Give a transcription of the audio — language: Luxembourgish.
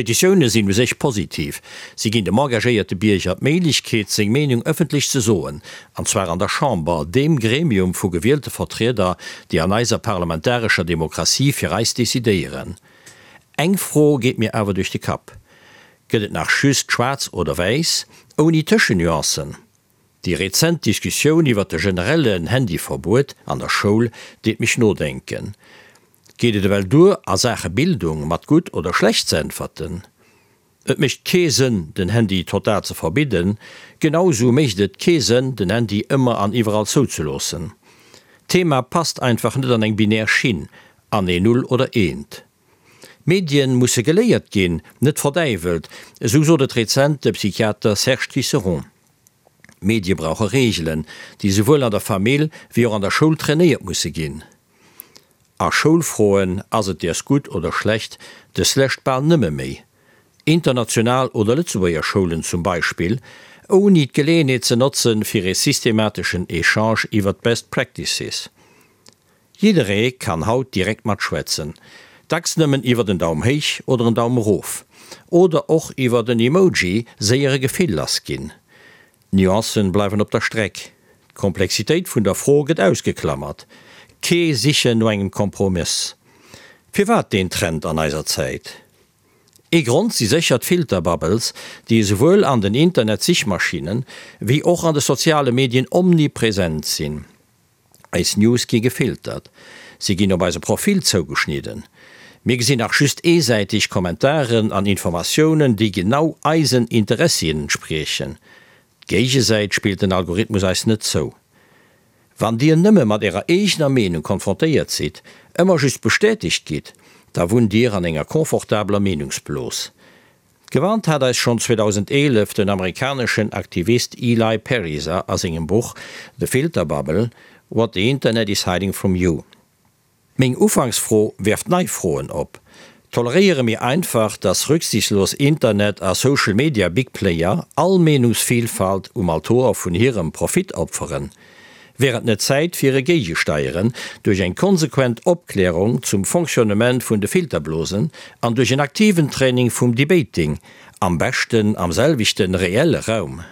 Petitioune sinn u sech positiv, si ginn dem engagéierte Bierger d'Méiglechkeet, seng Meenung ëffentlech ze soen, an zwar an der Chamber, deem Gremium vu gewielte Vertrieder, déi an eiser parlamentarescher Demokratie fir eis decidéieren. Eng Fro geet mir awer duerch de Kapp, Gëtt et nach just schwaarz oder wäiss, ouni Tëschennuancen? Déi rezent Diskussioun iwwer de generellen Handyverbuet an der Schoul deet mech nodenken. Geet et ewell duer a Saache Bildung mat gutt oder schlecht ze äntwerten? Et mécht kee Sënn den Handy total ze verbidden, genau sou mécht et kee Sënn den Handy ëmmer an iwwerall zouzeloossen. D'Thema passt einfach net an eng binär Schinn, an ee Null oder Eent. Medien musse geléiert ginn, net verdäiwelt, esou sot et rezent de Psychiater Serge Tisseron. Medie brauche Reegelen, déi souwuel an der Famill wéi och an der Schoul trainéiert musse ginn. A Schoulfroen, ass et däers gutt oder schlecht, dës Lescht bal nëmme méi international oder Lëtzebuerger Schoulen zum Beispill, ouni d'Geleeënheet ze notzen, fir ee systemateschen Echange iwwert best practices. Jidderee kann haut direkt matschwätzen, dacks nëmmen iwwert en Daum héich oder en Daum erof, oder och iwwert en Emoji séier e Gefill lass ginn. D'Nuancen bleiwen op der Streck, d'Komplexitéit vun der Fro gëtt ausgeklammert, kee Sichen no engem Kompromëss. Firwat deen Trend an eiser Zäit? Ee Grond si sécher d'Filterbubbles, déi esouwuel an den Internet-Sichmaschinnen, wéi och an de soziale Medien omnipresent sinn. Eis News gi gefiltert, si ginn op eise Profil zougeschnidden. Mir gesinn nach just eesäiteg Kommentaren an Informatiounen, déi genau eisen Interessien entspriechen. D'Géigesäit spillt den Algorithmus eis net zou. Wann dir nëmme mat ärer eegener Meenung konfrontéiert sidd, ëmmer just bestätegt gitt, da wunnt dir an enger confortabeler Meenungsblos. Gewarnt hat eis schonn 2011 den amerikaneschen Aktivist Eli Pariser a sengem Buch The Filter Bubble, What the Internet is Hiding from You. Meng Ufanksfro werft nei Froen op, Toleréiere mir einfach, dass rücksichtslos Internet a Social Media Big Player all Meenungsvilfalt um Altoer vun hirem Profit opferen? Wär et net Zäit fir e Géigesteieren duerch eng konsequent Opklärung zum Fonctionnement vun de Filterblosen an duerch en aktiven Training vum Debating, am beschten am selwechten reelle Raum?